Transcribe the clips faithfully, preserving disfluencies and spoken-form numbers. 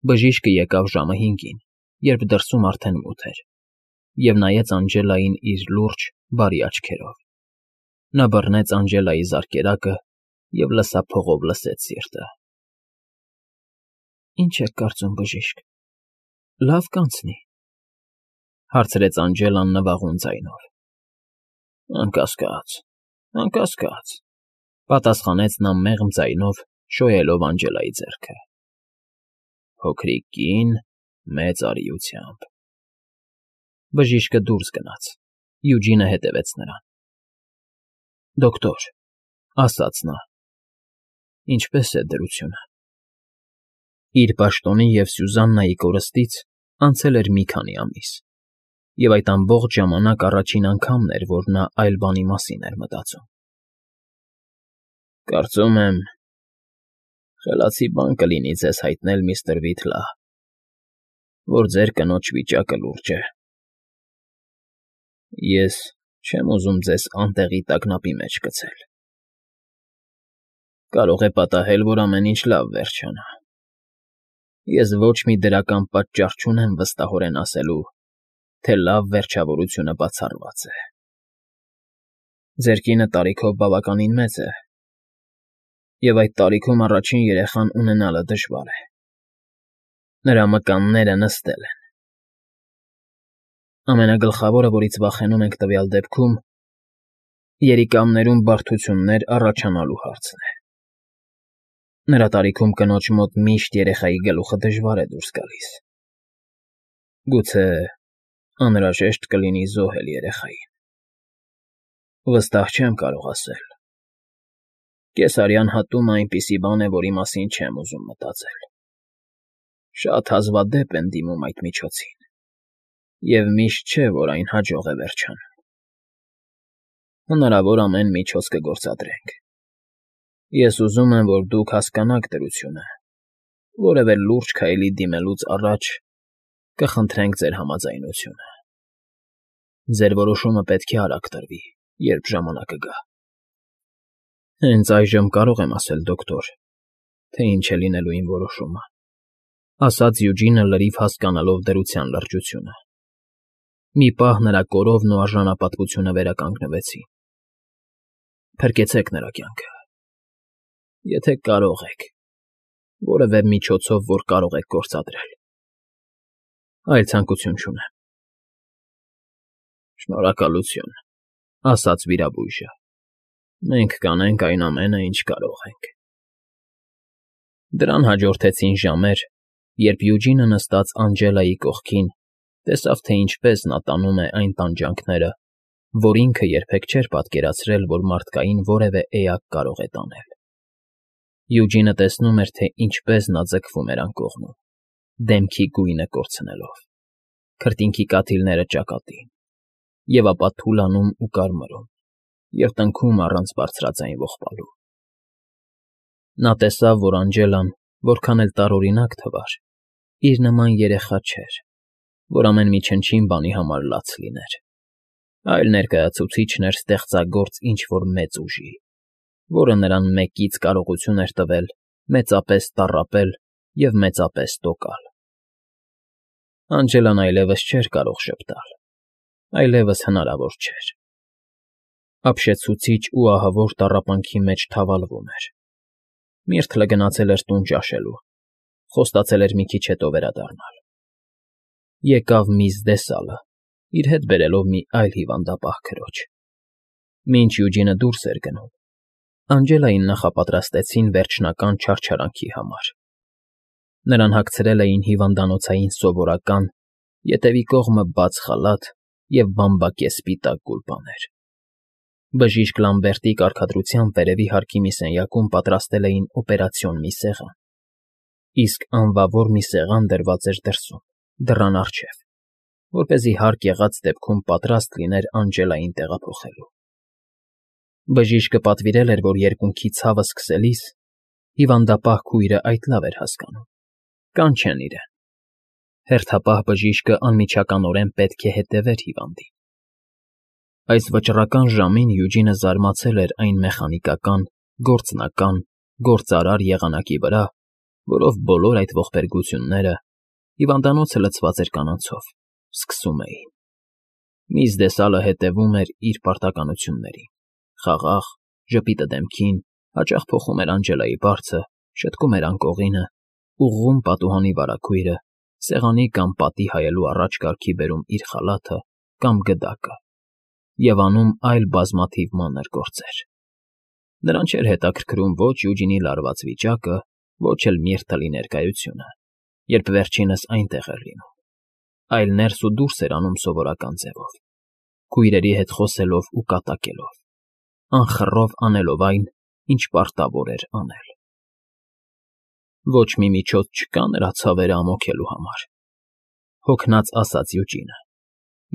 Բժիշկը եկավ ժամը հինգին, երբ դրսում արդեն մութ էր, և նայեց Անջելային իր լուրջ, բարի աչքերով. նա բռնեց Անջելայի զարկերակը և լսափողով լսեց սիրտը։ ֊ Ի՞նչ եք կարծում, բժիշկ, լավ կանցնի,֊ հարցրեց Անջելան նվաղուն ձայնով։ ֊ Անկասկած, անկասկած,֊ պատասխանեց նա մեղմ ձայնով, շոյելով Անջելայի ձեռքը։ ֊ Փոքրիկ կին մեծ արիությամբ… Բժիշկը դուրս գնաց, Յուջինը հետևեց նրան։ ֊ Դոկտոր,֊ ասաց նա,֊ ինչպե՞ս է դրությունը։ Իր պաշտոնի և Սյուզաննայի կորստից անցել էր մի քանի ամիս, և այդ ամբողջ ժամանակ առաջին անգամն էր, որ նա այլ բանի մասին էր մտածում։ ֊ Կարծում եմ, խելացի բան կլինի ձեզ հայտնել, միստր Վիթլա, որ ձեր կնոջ վիճակը լուրջ է։ Ես չեմ ուզում ձեզ անտեղի տագնապի մեջ գցել։ Կարող է պատահել, որ ամեն ինչ լավ վերջանա։ Ես ոչ մի դրական պատճառ չունեմ վստահորեն ասելու, թե լավ վերջավորությունը բացառված է։ Ձեր կինը տարիքով բավականին մեծ է, և այդ տարիքում առաջին երեխան ունենալը դժվար է։ Նրա մկանները նստել են։ Ամենագլխավորը, որից վախենում ենք տվյալ դեպքում, երիկամներում բարդություններ առաջանալու հարցն է։ Նրա տարիքում կնոջ մոտ միշտ երեխայի գլուխը դժվար է դուրս գալիս։ Գուցե անհրաժեշտ կլինի զոհել երեխային։ Վստահ չեմ կարող ասել։ Կեսարյան հատումը այնպիսի բան է, որի մասին չեմ ուզում մտածել։ Շատ հազվադեպ են դիմում այդ միջոցին, և միշտ չէ, որ այն հաջող է վերջանում։ Հնարավոր ամեն միջոց կգործադրենք։ Ես ուզում եմ, որ դուք հասկանաք դրությունը, որևէ լուրջ քայլի դիմելուց առաջ կխնդրենք ձեր համաձայնությունը։ Ձեր որոշումը պետք է արագ տրվի, երբ ժամանակը գա։ Հենց այժմ կարող եմ ասել, դոկտոր, թե ինչ է լինելու իմ որոշումը,֊ ասաց Յուջինը լրիվ հասկանալով դրության լրջությունը։ Մի պահ նրա կորովն ու արժանապատվությունը վերականգնվեցին։ ֊ Փրկեցեք նրա կյանքը, եթե կարող եք, որևէ միջոցով, որ կարող եք գործադրել։ Այլ ցանկություն չունեմ։ ֊ Շնորհակալություն,֊ ասաց վիրաբույժը։ Մենք կանենք այն ամենը, ինչ կարող ենք։ Դրան հաջորդեցին ժամեր, երբ Յուջինը նստած Անջելայի կողքին տեսավ, թե ինչպես նա տանում է այն տանջանքները, որ ինքը երբեք չէր պատկերացրել, որ մարդկային որևէ էակ կարող է տանել։ Յուջինը տեսնում էր, թե ինչպես նա ձգվում էր անկողնում, դեմքի գույնը կորցնելով, քրտինքի կաթիլները ճակատին, և ապա թուլանում ու կարմրում, և տնքում առանց բարձրաձայն ողբալու։ Նա տեսավ, որ Անջելան, որքան էլ տարօրինակ թվար, իր նման երեխա չէր, որ ամեն մի չնչին բանի համար լաց լիներ, այլ ներկայացուցիչն էր ստեղծագործ ինչ֊որ մեծ ուժի, որը նրան մեկից կարողություն էր տվել մեծապես տառապել և մեծապես տոկալ։ Անջելան այլևս չէր կարող ժպտալ, այլևս հնարավոր չէր։ Ապշեցուցիչ ու ահավոր տառապանքի մեջ թավալվում էր։ Միրթլը գնացել էր տուն ճաշելու, խոստացել էր մի քիչ հետո վերադառնալ։ Եկավ միս Դեսալը, իր հետ բերելով մի այլ հիվանդապահ քրոջ։ Մինչ Յուջինը դուրս էր գնում, Անջելային նախապատրաստեցին վերջնական չարչարանքի համար։ Նրան հագցրել էին հիվանդանոցային սովորական, ետևի կողմը բաց խալաթ և բամբակե սպիտակ գուլպաներ։ Բժիշկ Լամբերտի կարգադրությամբ վերևի հարկի մի սենյակում պատրաստել էին օպերացիոն մի սեղան, իսկ անվավոր մի սեղան դրված էր դրսում, դռան առջև, որպեսզի հարկ եղած դեպքում պատրաստ լիներ Անջելային տեղափոխելու։ Բժիշկը պատվիրել էր, որ երկունքի ցավը սկսելիս հիվանդապահ քույրը այդ լավ էր հասկանում, կանչեն իրեն։ Հերթապահ բժիշկը անմիջականորեն պետք է հետևեր հիվանդին։ Այս վճռական ժամին Յուջինը զարմացել էր այն մեխանիկական, գործնական, գործարար եղանակի վրա, որով բոլոր այդ ողբերգությունները, հիվանդանոցը լցված էր կանանցով, սկսում էին։ Միզդեսալը հետևում էր իր պարտականություններին, խաղաղ, ժպիտը դեմքին, հաճախ փոխում էր Անջելայի բարձը, շտկում էր անկողինը, ուղղում պատուհանի վարագույրը, սեղանի կամ պատի հայելու առաջ կարգի բերում իր խալաթը կամ գդակը և անում այլ բազմաթիվ մանր գործեր։ Նրան չէր հետաքրքրում ոչ Յուջինի լարված վիճակը, ոչ էլ Միրթլի ներկայությունը, երբ վերջինս այնտեղ էր լինում, այլ ներս ու դուրս էր անում սովորական ձևով, քույրերի հետ խոսելով ու կատակելով, անխռով անելով այն, ինչ պարտավոր էր անել։ Ոչ մի միջոց չկա նրա ցավերը ամոքելու համար, հոգնած ասաց Յուջինը։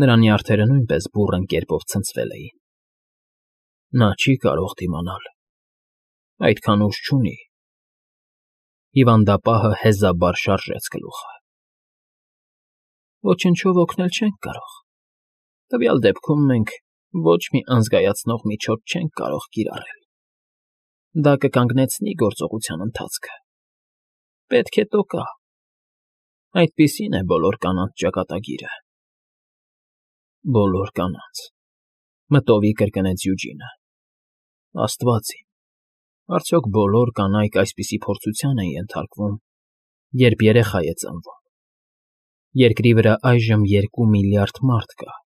Նրա նյարդերը նույնպես բուռն կերպով ցնցվել էին։ Նա չի կարող դիմանալ, այդքան ուժ չունի։ Հիվանդապահը հեզաբար շարժեց գլուխը։ Ոչնչով օգնել չենք կարող։ Տվյալ դեպքում մենք ոչ մի անզգայացնող միջոց չենք կարող կիրառել։ Դա կկանգնեցնի գործողության ընթացքը։ Պետք է տոկա։ Այդպիսին է բոլոր կանանց ճակատագիրը։ Բոլոր կանանց, մտովի կրկնեց Յուջինը։ Աստված իմ, արդյոք բոլոր կանայք այսպիսի փորձության են ենթարկվում, երբ երեխա է ծնվում։ Երկրի վրա այժմ երկու միլիարդ մարդ կա։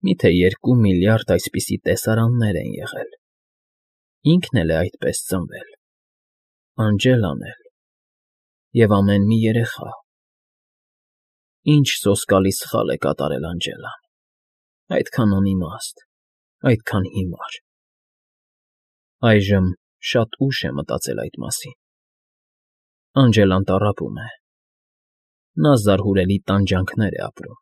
Միթե երկու միլիարդ այսպիսի տեսարաններ են եղել։ Ինքն էլ է այդպես ծնվել, Անջելան էլ, և ամեն մի երեխա։ Ինչ սոսկալի սխալ է կատարել Անջելան, այդքան անիմաստ, այդքան հիմար։ Այժմ շատ ուշ է մտածել այդ մասին։ Անջելան տառապում է։ Նա զարհուրելի տանջանքներ է ապրում։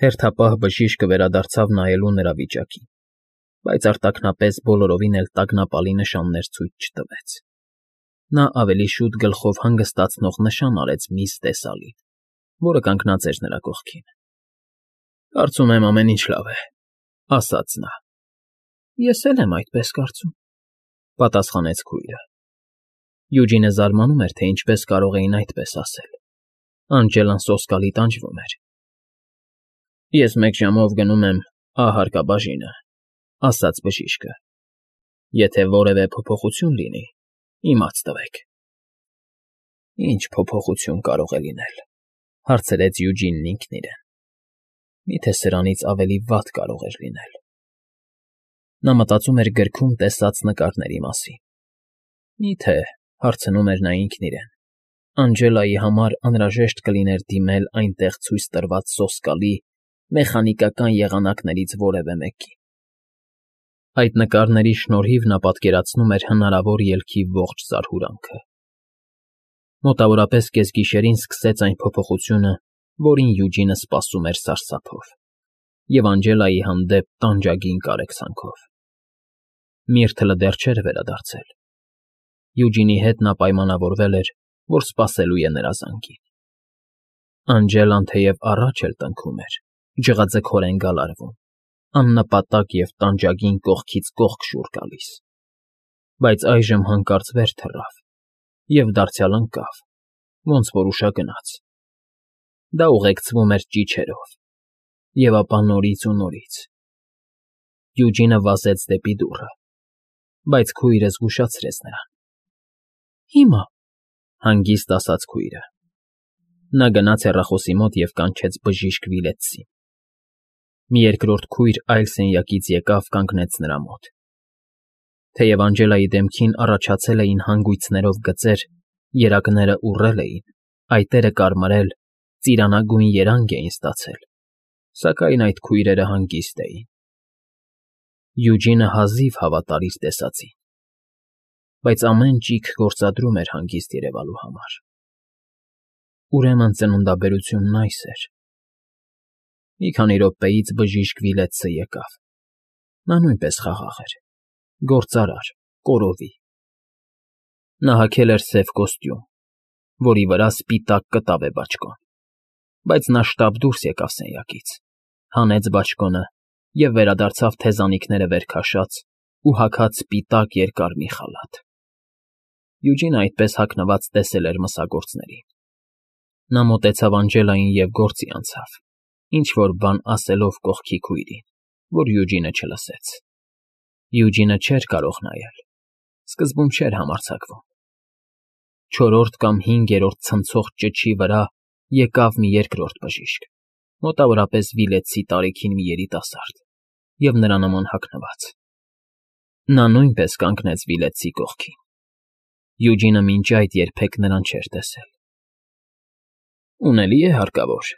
Հերթապահ բժիշկը վերադարձավ նայելու նրա վիճակին, բայց արտաքնապես բոլորովին էլ տագնապալի նշաններ ցույց չտվեց։ Նա ավելի շուտ գլխով հանգստացնող նշան արեց միss Տեսալին, որը կանգնած էր նրա կողքին։ Կարծում եմ ամեն ինչ լավ է, ասաց նա։ Ես էլ եմ այդպես կարծում, պատասխանեց քույրը։ Յուջինը զարմանում էր, թե ինչպես կարող էին այդպես ասել։ Անջելան սոսկալի տանջվում էր։ Ես մեկ ժամով գնում եմ Ա հարկաբաժինը, ասաց բժիշկը։ Եթե որևէ փոփոխություն լինի, իմաց տվեք։ Ինչ փոփոխություն կարող է լինել, հարցրեց Յուջինն ինքն իրեն։ Միթե սրանից ավելի վատ կարող էր լինել։ Նա մտածում էր գրքում տեսած նկարների մասին։ Միթե, հարցնում էր նա ինքն իրեն, Անջելայի համար անհրաժեշտ կլիներ դիմել այնտեղ ցույց տրված սոսկալի, մեխանիկական եղանակներից որևէ մեկին։ Այդ նկարների շնորհիվ նա պատկերացնում էր հնարավոր ելքի ողջ զարհուրանքը։ Մոտավորապես կեսգիշերին սկսեց այն փոփոխությունը, որին Յուջինը սպասում էր սարսափով, և Անջելայի հանդեպ տանջագին կարեկցանքով։ Միրթլը դեռ չէր վերադարձել։ Յուջինի հետ նա պայմանավորվել էր, որ սպասելու է նրա զանգին։ Անջելան թեև առաջ էլ տնքում էր, ջղաձգորեն գալարվում, աննպատակ և տանջագին կողքից կողք շուռ գալիս, բայց այժմ հանկարծ վեր թռավ և դարձյալ ընկավ, ոնց որ ուշագնաց։ Դա ուղեկցվում էր ճիչերով, և ապա նորից ու նորից։ Յուջինը վազեց դեպի դուռը, բայց քույրը զգուշացրեց նրան։ Հիմա, հանգիստ ասաց քույրը։ Նա գնաց հեռախոսի մոտ և կանչեց բժիշկ Վիլետսին։ Մի երկրորդ քույր այլ սենյակից եկավ կանգնեց նրա մոտ։ Թեև Անջելայի դեմքին առաջացել էին հանգույցներով գծեր, երակները ուռել էին, այտերը կարմրել, ծիրանագույն երանգ էին ստացել, սակայն այդ քույրերը հանգիստ էին։ Յուջինը հազիվ հավատար իր տեսածին, բայց ամեն ճիգ գործադրում էր հանգիստ երևալու համար։ Ուրեմն ծննդաբերությունն այս էր։ Մի քանի րոպեից բժիշկ Վիլետսը եկավ։ Նա նույնպես խաղաղ էր, գործարար, կորովի։ Նա հագել էր սև կոստյում, որի վրա սպիտակ կտավ է բաճկոն, բայց նա շտապ դուրս եկավ սենյակից, հանեց բաճկոնը և վերադարձավ թեզանիքները վեր քաշած ու հագած սպիտակ երկար մի խալաթ։ Յուջինը այդպես հագնված տեսել էր մսագործներին։ Նա մոտեցավ Անջելային և գործի անցավ, ինչ֊որ բան ասելով կողքի քույրին, որ Յուջինը չլսեց։ Յուջինը չէր կարող նայել, սկզբում չէր համարձակվում։ Չորրորդ կամ հինգերորդ ցնցող ճչի վրա եկավ մի երկրորդ բժիշկ, մոտավորապես վիլետցի տարիքին մի երիտասարդ և նրա նման հագնված։ Նա նույնպես կանգնեց վիլետցի կողքին։ Յուջինը մինչ այդ երբեք նրան չէր տեսել։ ֊ Ունելի՞ է հարկավոր,֊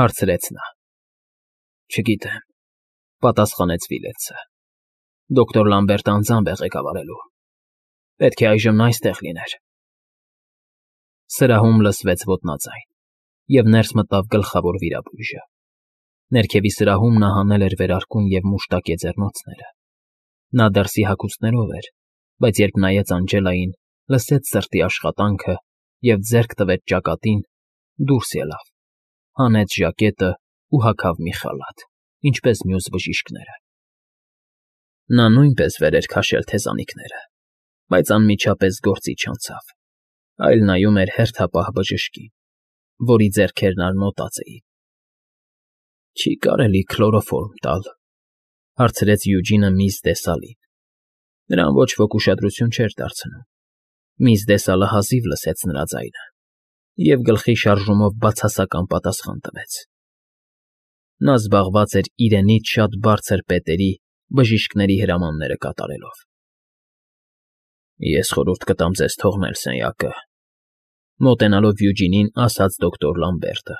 հարցրեց նա։ ֊ Չգիտեմ,֊ պատասխանեց Վիլետսը։ Դոկտոր Լամբերտը անձամբ է ղեկավարելու։ Պետք է այժմ նա այստեղ լիներ։ Սրահում լսվեց ոտնաձայն, և ներս մտավ գլխավոր վիրաբույժը։ Ներքևի սրահում նա հանել էր վերարկուն և մուշտակե ձեռնոցները։ Նա դրսի հագուստներով էր, բայց երբ նայեց Անջելային, լսեց սրտի աշխատանքը և ձեռք տվեց ճակատին, դուրս ելավ, հանեց ժակետն ու հագավ մի խալաթ, ինչպես մյուս բժիշկները։ Նա նույնպես վեր էր քաշել թեզանիքները, բայց անմիջապես գործի չանցավ, այլ նայում էր հերթապահ բժշկին, որի ձեռքերն արմոտած էին։ ֊ Չի՞ կարելի քլորոֆորմ տալ,֊ հարցրեց Յուջինը միss Դեսալին։ Նրան ոչ ոք ուշադրություն չէր դարձնում։ Միss Դեսալը հազիվ լսեց նրա ձայնը և գլխի շարժումով բացասական պատասխան տվեց։ Նա զբաղված էր իրենից շատ բարձր պետերի բժիշկների հրամանները կատարելով։ ֊ Ես խորհուրդ կտամ ձեզ թողնել սենյակը,֊ մոտենալով Յուջինին ասաց դոկտոր Լամբերտը։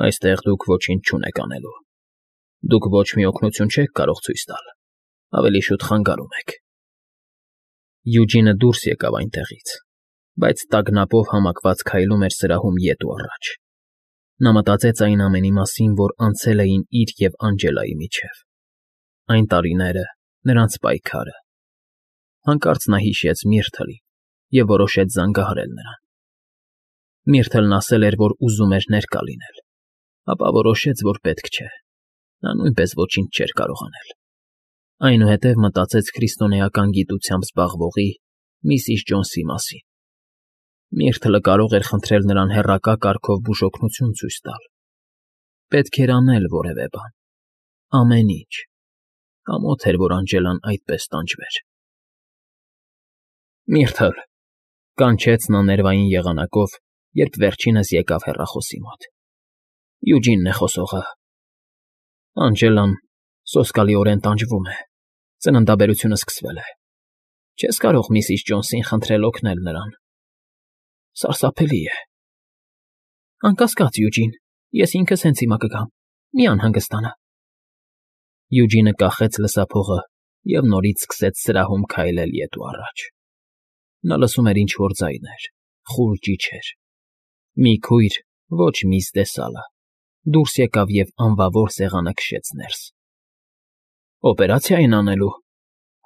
Այստեղ դուք ոչինչ չունեք անելու։ Դուք ոչ մի օգնություն չեք կարող ցույց տալ, ավելի շուտ խանգարում եք։ Յուջինը դուրս եկավ այնտեղից, բայց տագնապով համակված քայլում էր սրահում ետ ու առաջ։ Նա մտածեց այն ամենի մասին, որ անցել էին իր և Անջելայի միջև, այն տարիները, նրանց պայքարը։ Հանկարծ նա հիշեց Միրթլին և որոշեց զանգահարել նրան։ Միրթլն ասել էր, որ ուզում էր ներկա լինել, ապա որոշեց, որ պետք չէ, նա նույնպես ոչինչ չէր կարող անել։ Այնուհետև մտածեց քրիստոնեական գիտությամբ զբաղվողի միսիս Ջոնսի մասին։ Միրթլը կարող էր խնդրել նրան հեռակա կարգով բուժօգնություն ցույց տալ։ Պետք էր անել որևէ բան, ամեն ինչ։ Ամոթ էր, որ Անջելան այդպես տանջվեր։ ֊ Միրթլ,֊ կանչեց նա ներվային եղանակով, երբ վերջինս եկավ հեռախոսի մոտ,֊ Յուջինն է խոսողը։ Անջելան սոսկալիորեն տանջվում է, ծննդաբերությունը սկսվել է։ Չես կարող միսիս Ջոնսին խնդրել օգնել նրան։ Սարսափելի է։ ֊ Անկասկած, Յուջին, ես ինքս հենց հիմա կգամ, մի անհանգստանա։ Յուջինը կախեց լսափողը և նորից սկսեց սրահում քայլել ետ ու առաջ։ Նա լսում էր ինչ֊որ ձայներ, խուլ ճիչեր։ Մի քույր, ոչ միss Դեսալը, դուրս եկավ և անվավոր սեղանը քշեց ներս։ ֊ Օպերացիա են անելու,֊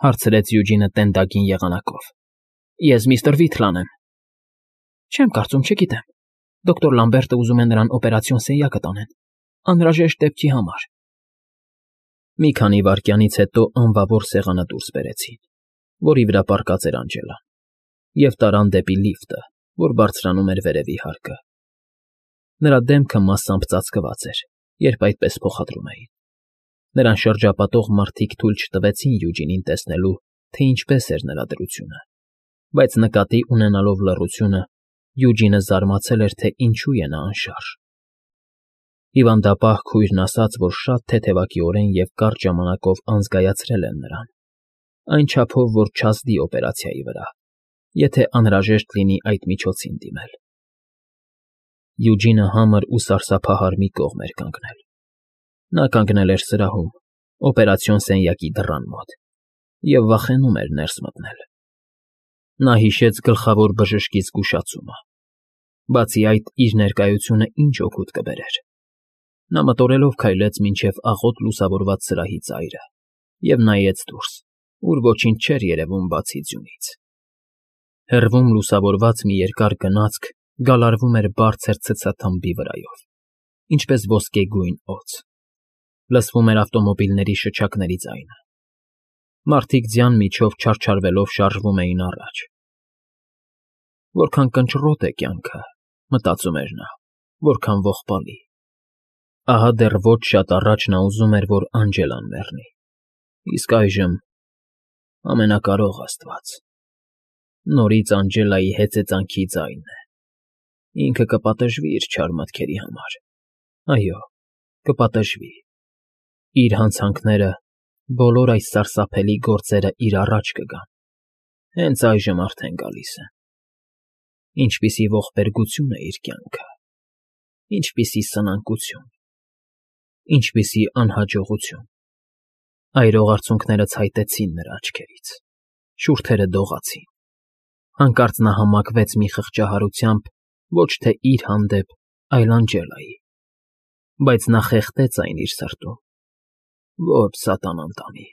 հարցրեց Յուջինը տենդագին եղանակով։ ֊ Ես միստր Վիթլան եմ։ ֊ Չեմ կարծում, չգիտեմ։ Դոկտոր Լամբերտը ուզում է նրան օպերացիոն սենյակը տանեն, անհրաժեշտ դեպքի համար։ Մի քանի վայրկյանից հետո անվավոր սեղանը դուրս բերեցին, որի վրա պառկած էր Անջելան, և տարան դեպի լիֆտը, որ բարձրանում էր վերևի հարկը։ Նրա դեմքը մասամբ ծածկված էր, երբ այդպես փոխադրում էին։ Նրան շրջապատող մարդիկ թույլ չտվեցին Յուջինին տեսնելու, թե ինչպես էր նրա դրությունը, բայց նկատի ունենալով լռությունը, Յուջինը զարմացել էր, թե ինչու է նա անշարժ։ Հիվանդապահ քույրն ասաց, որ շատ թեթևակիորեն և կարճ ժամանակով անզգայացրել են նրան, այն չափով, որ չազդի օպերացիայի վրա, եթե անհրաժեշտ լինի այդ միջոցին դիմել։ Յուջինը համր ու սարսափահար մի կողմ էր կանգնել։ Նա կանգնել էր սրահում, օպերացիոն սենյակի դռան մոտ, և վախենում էր ներս մտնել։ Նա հիշեց գլխավոր բժշկի զգուշացումը։ Բացի այդ, իր ներկայությունը ինչ օգուտ կբերեր։ Նա մտորելով քայլեց մինչև աղոտ լուսավորված սրահի ծայրը և նայեց դուրս, ուր ոչինչ չէր երևում բացի ձյունից։ Հեռվում լուսավորված մի երկար գնացք գալարվում էր բարձր ցցաթմբի վրայով, ինչպես ոսկեգույն օձ։ Լսվում էր ավտոմոբիլների շչակների ձայնը։ Մարդիկ ձյան միջով չարչարվելով շարժվում էին առաջ։ Որքան կնճռոտ է կյանքը, մտածում էր նա, որքան ողբալի։ Ահա դեռ ոչ շատ առաջ նա ուզում էր, որ Անջելան մեռնի, իսկ այժմ… Ամենակարող աստված… Նորից Անջելայի հեծեծանքի ձայնն է… Ինքը կպատժվի իր չար մտքերի համար, այո, կպատժվի… Իր հանցանքները, բոլոր այս սարսափելի գործերը իր առաջ կգան, հենց այժմ արդեն գալիս են… Ինչպիսի ողբերգություն է իր կյանքը… Ինչպիսի սնանկություն… Ինչպիսի անհաջողություն… Այրող արցունքները ցայտեցին նրա աչքերից, շուրթերը դողացին… Հանկարծ նա համակվեց մի խղճահարությամբ ոչ թե իր հանդեպ, այլ Անջելայի… Բայց նա խեղդեց այն իր սրտում… Ոչ, սատանան տանի…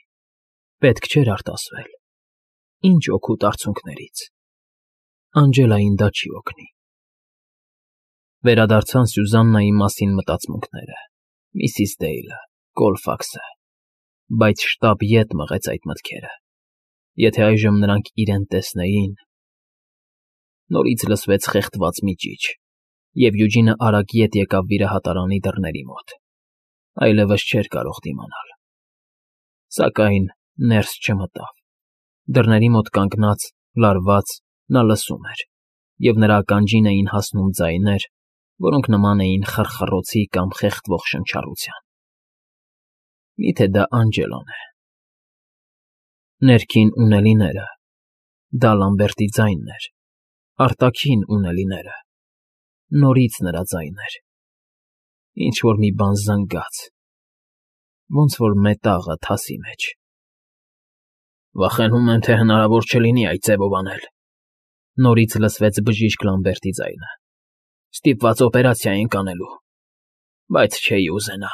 Պետք չէր արտասվել… Ինչ օգուտ արցունքներից… Անջելային դա չի օգնի… Վերադարձան Սյուզաննայի մասին մտածմունքները, միսիս Դեյլը, Կոլֆաքսը… Բայց շտապ ետ մղեց այդ մտքերը… Եթե այժմ նրանք իրեն տեսնեին… Նորից լսվեց խեղդված մի ճիչ, և Յուջինը արագ ետ եկավ վիրահատարանի դռների մոտ… Այլևս չէր կարող դիմանալ… Սակայն ներս չմտավ… Դռների մոտ կանգնած, լարված, նա լսում էր, և նրա ականջին էին հասնում ձայներ, որոնք նման էին խռխռոցի կամ խեղդվող շնչառության… Մի՞թե դա Անջելան է… Ներքին ունելիները… Դա Լամբերտի ձայնն էր… Արտաքին ունելիները… Նորից նրա ձայն էր… Ինչ֊որ մի բան զնգաց… Ոնց որ մետաղը թասի մեջ… Վախենում եմ, թե հնարավոր չլինի այդ ձևով անել… Նորից լսվեց բժիշկ Լամբերտի ձայնը… Ստիպված օպերացիա ենք անելու… Բայց չէի ուզենա…